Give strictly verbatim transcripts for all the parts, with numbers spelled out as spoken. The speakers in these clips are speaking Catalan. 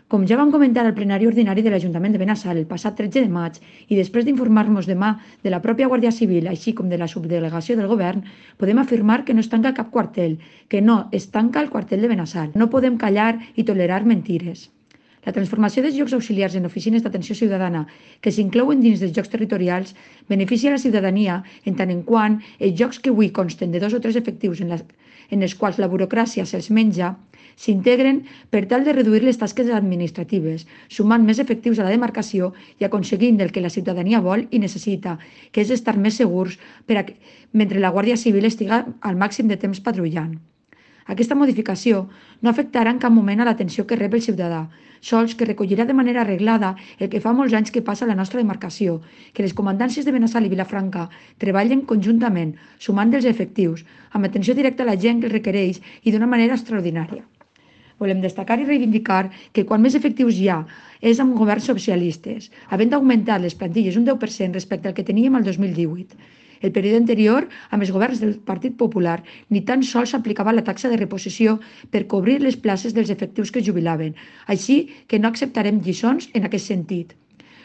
Com ja vam comentar al plenari ordinari de l'Ajuntament de Benassal el passat tretze de maig i després d'informar-nos demà de la pròpia Guàrdia Civil, així com de la subdelegació del Govern, podem afirmar que no es tanca cap quartel, que no es tanca el quartel de Benassal. No podem callar i tolerar mentires. La transformació dels llocs auxiliars en oficines d'atenció ciutadana que s'inclouen dins dels llocs territorials beneficia la ciutadania en tant en quant els llocs que avui consten de dos o tres efectius en, la, en els quals la burocràcia se'ls menja s'integren per tal de reduir les tasques administratives, sumant més efectius a la demarcació i aconseguint el que la ciutadania vol i necessita, que és estar més segurs per a, mentre la Guàrdia Civil estiga al màxim de temps patrullant. Aquesta modificació no afectarà en cap moment a l'atenció que rep el ciutadà, sols que recollirà de manera arreglada el que fa molts anys que passa a la nostra demarcació, que les comandàncies de Benassal i Vilafranca treballen conjuntament, sumant dels efectius, amb atenció directa a la gent que el requereix i d'una manera extraordinària. Volem destacar i reivindicar que quan més efectius hi ha és amb governs socialistes, havent augmentat les plantilles un deu per cent respecte al que teníem el dos mil divuit. El període anterior, amb els governs del Partit Popular, ni tan sols s'aplicava la taxa de reposició per cobrir les places dels efectius que es jubilaven, així que no acceptarem lliçons en aquest sentit.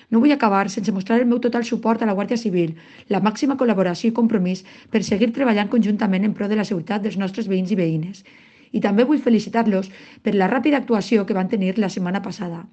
No vull acabar sense mostrar el meu total suport a la Guàrdia Civil, la màxima col·laboració i compromís per seguir treballant conjuntament en pro de la seguretat dels nostres veïns i veïnes. I també vull felicitar-los per la ràpida actuació que van tenir la setmana passada.